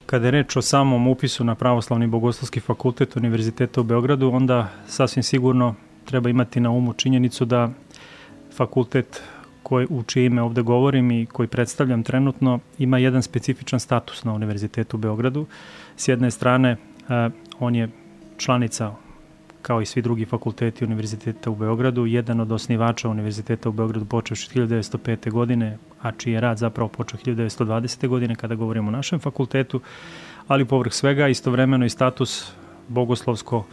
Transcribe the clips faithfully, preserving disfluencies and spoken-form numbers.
Kada je reč o samom upisu na Pravoslavni bogoslovski fakultet Univerziteta u Beogradu, onda sasvim sigurno treba imati na umu činjenicu da fakultet koji, u čije ime ovde govorim i koji predstavljam trenutno, ima jedan specifičan status na Univerzitetu u Beogradu. S jedne strane, on je članica, kao i svi drugi fakulteti Univerziteta u Beogradu, jedan od osnivača Univerziteta u Beogradu počevši od hiljadu devetsto pete. godine, a čiji je rad zapravo počeo hiljadu devetsto dvadesete. godine kada govorimo o našem fakultetu, ali povrh svega istovremeno i status bogoslovsko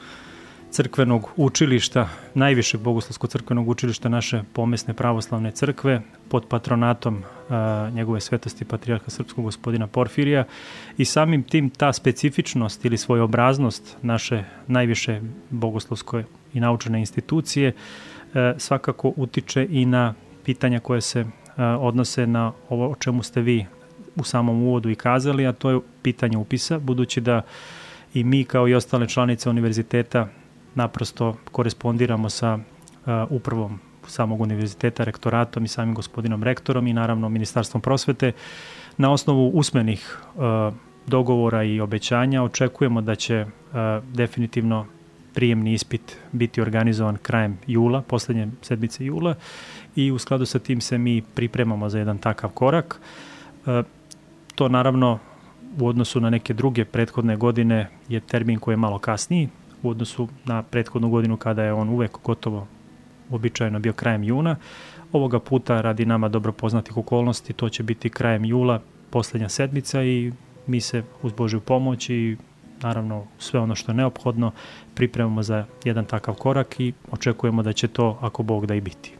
crkvenog učilišta, najvišeg bogoslovsko-crkvenog učilišta naše pomesne pravoslavne crkve pod patronatom a, njegove svetosti patrijarha srpskog gospodina Porfirija i samim tim ta specifičnost ili svojobraznost naše najviše bogoslovske i naučene institucije a, svakako utiče i na pitanja koje se a, odnose na ovo o čemu ste vi u samom uvodu i kazali, a to je pitanje upisa, budući da i mi kao i ostale članice univerziteta naprosto korespondiramo sa uh, upravom samog univerziteta, rektoratom i samim gospodinom rektorom i naravno Ministarstvom prosvete. Na osnovu usmenih uh, dogovora i obećanja očekujemo da će uh, definitivno prijemni ispit biti organizovan krajem jula, poslednje sedmice jula i u skladu sa tim se mi pripremamo za jedan takav korak. Uh, to naravno u odnosu na neke druge prethodne godine je termin koji je malo kasniji, u odnosu na prethodnu godinu kada je on uvek gotovo običajno bio krajem juna. Ovoga puta radi nama dobro poznatih okolnosti to će biti krajem jula, poslednja sedmica i mi se uz Božju pomoć i naravno sve ono što je neophodno pripremamo za jedan takav korak i očekujemo da će to ako Bog da i biti.